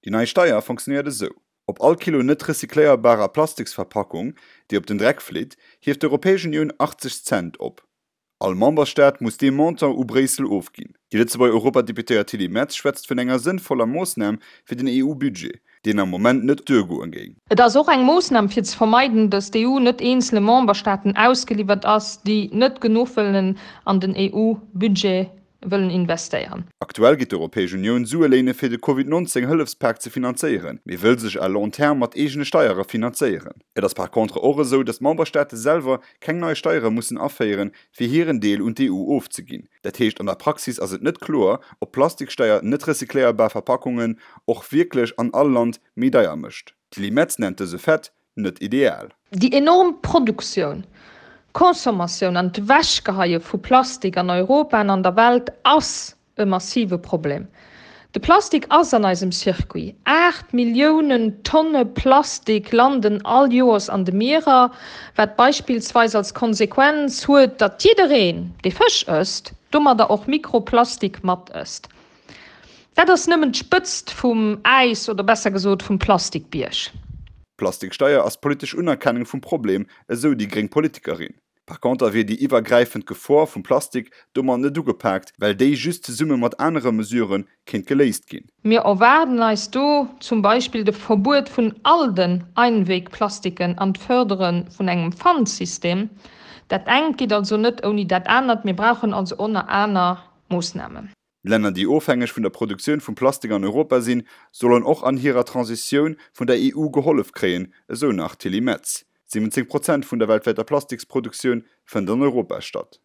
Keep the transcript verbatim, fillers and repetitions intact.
Déi nei Steier funktionéiert esou, Op all Kilo net recycléierbarer Plastiksverpackung, déi op den Dreck flitt, hieft d'Europäesch Unioun achtzeg Cent op. All Memberstaat muss dee Montant u Bréissel ofginn. Déi Lëtzebuerger Europadeputéiert Tilly Metz schwätzt vun enger sënnvoller Moossnam fir den E U-Budget, deen am Moment net duergoe géing. Et ass och eng Moossnam fir ze vermeiden, datt d'E U net eenzele Memberstaaten ausgeliwwert ass, déi net genuch wëllen an den E U-Budget wëllen investéieren. Aktuell geet d'Europäesch Unioun Sue léine fir de Covid nonzéng Hëllefspak ze finanzéieren, mee wëll sech à long terme mat eegene Steiere finanzéieren. Et ass par contre och esou, datt d'Memberstaate selwer keng nei Steiere mussen aféieren, fir hiren Deel un d'E U ofzeginn. Dat heescht, an der Praxis ass et net kloer, ob d'Plastiksteier net recycléierbar Verpackungen och wierklech an all Land méi deier mécht. D'Tilly Metz nennt dëse Fait net ideal. Déi enorm Produktioun, Consommatioun an d'Ewechgeheie vu Plastik an Europa an an der Welt ass e massive Problem. De Plastik ass an eisem Circuit. Aacht Milliounen Tonne Plastik landen all Joers an de Mierer, wat beispillsweis als Konsequenz huet, datt jiddereen, dee Fësch ësst, domadder och Mikroplastik mat ësst. Dat ass nëmmen d'Spëtzt vum Äis oder besser gesot vum Plastikbierg. D'Plastiksteier ass d'politesch Unerkennung vum Problem, esou déi gréng Politikerin. Par conter wier déi iwwergräifend Gefor vum Plastik domat net ugepaakt, well déi just zesumme mat anere Mesurë kéint geléist ginn. Mir erwaarden eis do zum Beispill de Verbuet vun all den Einwegplastiken an d'Fërdere vun engem Pfandsystem. Dat engt geet also net ouni dat anert. Mir brauchen also och nach aner Moossnamen. Länner, déi ofhängeg vun der Produktioun vum Plastik an Europa sinn, sollen och an hirer Transitioun vun der E U gehollef kréien, esou nach d'Tilly Metz. siwwenzéng Prozent vun der weltwäiter Plastiksproduktioun fënnt an Europa statt.